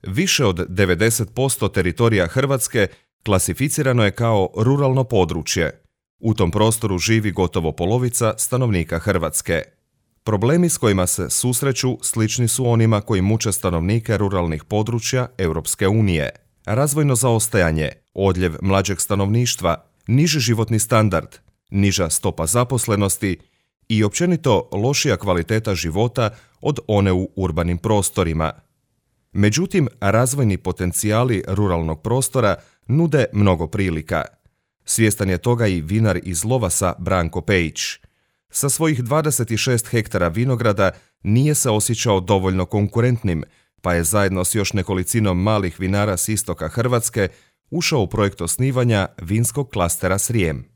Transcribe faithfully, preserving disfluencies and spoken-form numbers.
Više od devedeset posto teritorija Hrvatske klasificirano je kao ruralno područje. U tom prostoru živi gotovo polovica stanovnika Hrvatske. Problemi s kojima se susreću slični su onima koji muče stanovnike ruralnih područja Europske unije. Razvojno zaostajanje, odljev mlađeg stanovništva, niži životni standard, niža stopa zaposlenosti i općenito lošija kvaliteta života od one u urbanim prostorima. Međutim, razvojni potencijali ruralnog prostora nude mnogo prilika. Svjestan je toga i vinar iz Lovasa Branko Pejić. Sa svojih dvadeset šest hektara vinograda nije se osjećao dovoljno konkurentnim, pa je zajedno s još nekolicinom malih vinara s istoka Hrvatske ušao u projekt osnivanja vinskog klastera Srijem.